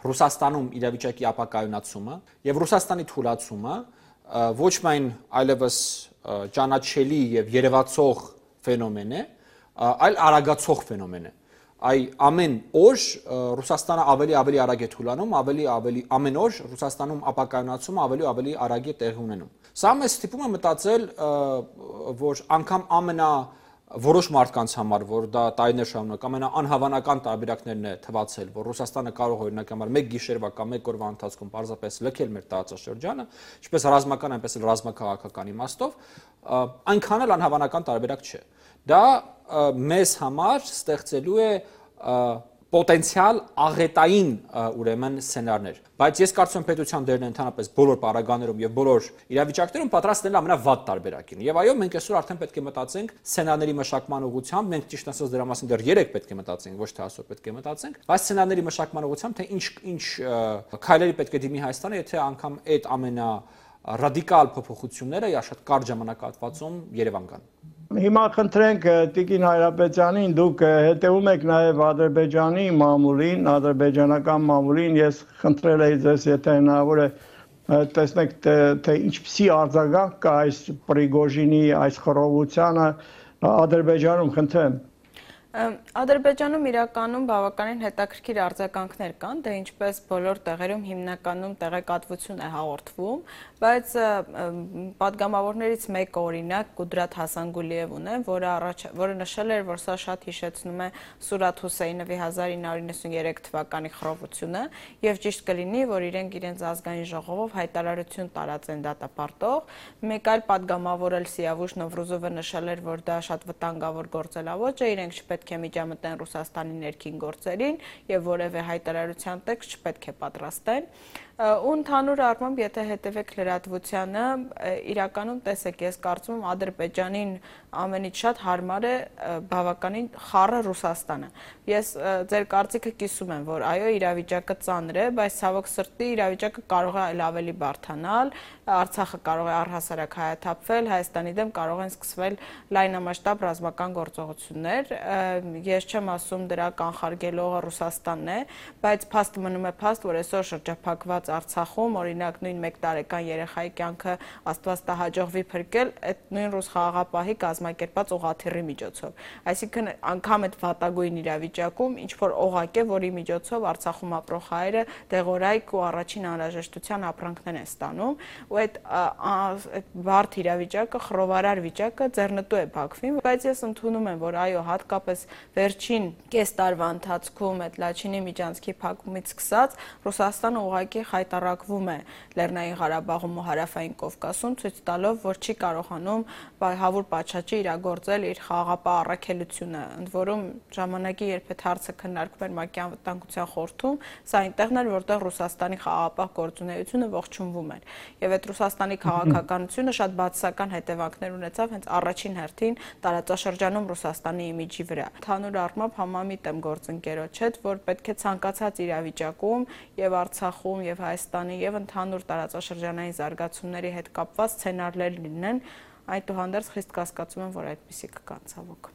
Ռուսաստանում իրավիճակի ապակայունացումը եւ Ռուսաստանի թուլացումը ոչ միայն այլևս ճանաչելի եւ երևացող ֆենոմեն է, այլ արագացող ֆենոմեն է։ Այ ամեն օր Ռուսաստանը ավելի արագ է թուլանում, ամեն օր Ռուսաստանում ապակայունացումը ավելի արագ է տեղի ունենում։ Սա մեզ ստիպում է մտածել, որ անգամ որոշ մարդկանց համար, որ դա տարիներ շարունակ ամենաանհավանական տարբերակներն է թվացել, որ Ռուսաստանը կարող օրինակ համար մեկ գիշերվա կամ մեկ օրվա ընթացքում պարզապես լքել մեր տարածաշրջանը, ինչպես ռազմական, այնպես էլ ռազմաքաղաքական իմաստով, այնքան էլ անհավանական տարբերակ չէ։ Դա մեզ համար ստեղծելու է պոտենցիալ աղետային ուրեմն սցենարներ, բայց ես կարծում եմ պետության դերն ընդհանրապես բոլոր պարագաներում եւ բոլոր իրավիճակներում պատրաստել ամենավատ տարբերակին։ Եվ այո, մենք այսօր արդեն պետք է մտածենք սցենարների մշակման ուղղությամբ, մենք ճիշտ ասած դրա մասին դեռ երեք պետք է մտածենք, ոչ թե այսօր պետք է մտածենք, բայց սցենարների մշակման ուղղությամբ թե ինչ քայլերի պետք է դիմի Հայաստանը, եթե անգամ այդ ամենառադիկալ փոփոխությունները շատ կարճ ժամանակահատվածում Երևան գան։ Հիմա խնդրենք Տիկին Հայրապետյանին, դուք հետևում եք նաև Ադրբեջանի մամուլին, ադրբեջանական մամուլին, ես խնդրել էի ձեզ, եթե հնարավոր է տեսնեք, թե ինչպիսի արձագանք կա այս Պրիգոժինի այս խռովությանը Ադրբեջանում, խնդրեմ։ Ադրբեջանում իրականում բավականին հետաքրքիր արձագանքներ կան, դե ինչպես բոլոր տեղերում հիմնականում տեղեկատվություն է հաղորդվում, բայց պատգամավորներից մեկը օրինակ Կուդրաթ Հասանգուլիևն է, որը նշել էր, որ սա շատ հիշեցնում է Սուրաթ Հուսեյնովի 1993 թվականի խռովությունը եւ ճիշտ կլինի, որ իրենց ազգային ժողովով հայտարարություն տարածեն դատապարտող։ Մեկ այլ պատգամավոր էլ Սիավուշ Նովրուզովը նշել էր, որ դա շատ վտանգավոր գործելավոճ է, իրենք չպետք է միջամտեն Ռուսաստանի ներքին գործերին եւ որևէ հայտարարության տեքստ չպետք է պատրաստեն։ Ու ընդհանուր առմամբ, եթե հետևեք լրատվությանը, իրականում տեսեք, ես կարծում եմ Ադրբեջանին ամենից շատ հարմար է բավականին խառը Ռուսաստանը։ Ես ձեր կարծիքը կիսում եմ, որ այո, իրավիճակը ծանր է, բայց ցավոք սրտի իրավիճակը կարող է ավելի բարդանալ, Արցախը կարող է առհասարակ հայաթափվել, Հայաստանի դեմ կարող են սկսվել լայնամասշտաբ ռազմական գործողություններ։ Ես չեմ ասում դրա կանխարգելողը Ռուսաստանն է, բայց փաստը մնում է փաստ, որ այսօր շրջափակված Արցախում, օրինակ նույն 1 տարեկան երեխայի կյանքը Աստված տա հաջողվի փրկել այդ նույն ռուս խաղաղապահի կազմակերպած օղաթիռի միջոցով։ Այսինքն անգամ այդ վատագույն իրավիճակում ինչ որ օղակ է, որի միջոցով Արցախում ապրող հայերը դեղորայք ու առաջին անհրաժեշտության ապրանքներ են ստանում, ու այդ բարդ իրավիճակը, խռովարար վիճակը ձեռնտու է Բաքվին, բայց ես ընդունում եմ, որ այո, հատկապես վերջին կես տարվա ընթացքում այդ Լաչինի միջանցքի փակումից սկսած Ռուսաստանը ուղղակի հայտարարվում է Լեռնային Ղարաբաղում ու Հարավային Կովկասում, ցույց տալով, որ չի կարողանում Հավուր Պաչաչի իրագործել իր խաղաղապահ առաքելությունը։ Ընդ որում ժամանակի երբ այդ հարցը քննարկվում էր ՄԱԿ-ի անվտանգության խորհրդում, սա այնտեղն էր, որտեղ Ռուսաստանի խաղաղապահ գործունեությունը ողջունվում էր։ Եվ այդ Ռուսաստանի քաղաքականությունը շատ բացասական հետևանքներ ունեցավ հենց առաջին հերթին տարածաշրջանում Ռուսաստանի իմիջի վրա։ Ընդհանուր առմամբ համամիտ եմ գործընկերոջ հետ, որ պետք է ցանկացած իրավիճակում եւ Արցախում եւ Հայաստանի եւ ընդհանուր տարածաշրջանային զարգացումների հետ կապված սցենարներ լինեն, այդուհանդերձ խիստ կասկածում եմ, որ այդպիսի կգան ցավոք։